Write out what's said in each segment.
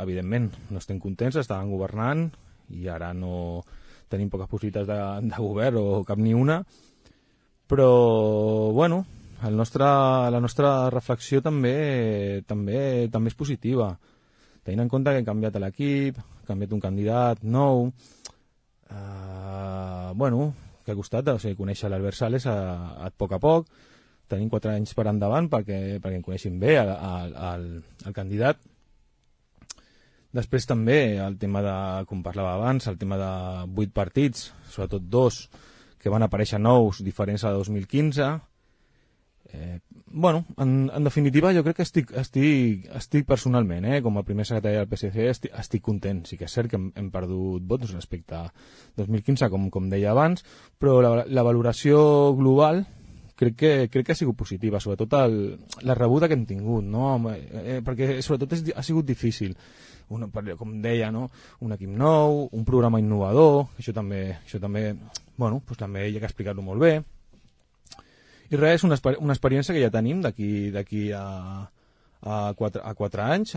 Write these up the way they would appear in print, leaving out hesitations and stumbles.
evidentment, no estem contents, estaven governant i ara no tenim poques possibilitats de govern o cap ni una, però, bueno, la nostra reflexió també és positiva, tenint en compte que hem canviat l'equip, ha canviat un candidat nou, bueno, que ha costat conèixer l'Albert Sales a poc a poc, tenim 4 anys per endavant perquè en coneixin bé el candidat. Després també el tema de, com parlava abans, el tema de 8 partits, sobretot 2 que van aparèixer nous, diferents a 2015. Bueno, en definitiva jo crec que estic personalment, com a primer secretari del PSC, estic content. Sí que és cert que hem perdut vots respecte a 2015, com deia abans, però la valoració global crec que ha sigut positiva, sobretot la rebuda que hem tingut, no? Perquè sobretot ha sigut difícil. Com deia, no? Un equip nou, un programa innovador, això també bueno, doncs també hi ha que explicar-lo molt bé. I res, és una experiència que ja tenim d'aquí a 4 anys,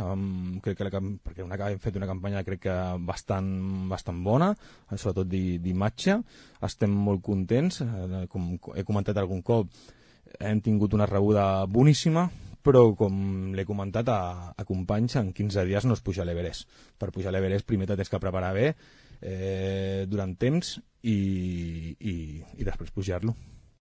crec que perquè hem fet una campanya crec que bastant bona, sobretot d'imatge, estem molt contents, com he comentat algun cop, hem tingut una rebuda boníssima, però com l'he comentat a companys, en 15 dies no es puja a l'Everest. Per pujar a l'Everest primer t'has que preparar bé durant temps i després pujar-lo.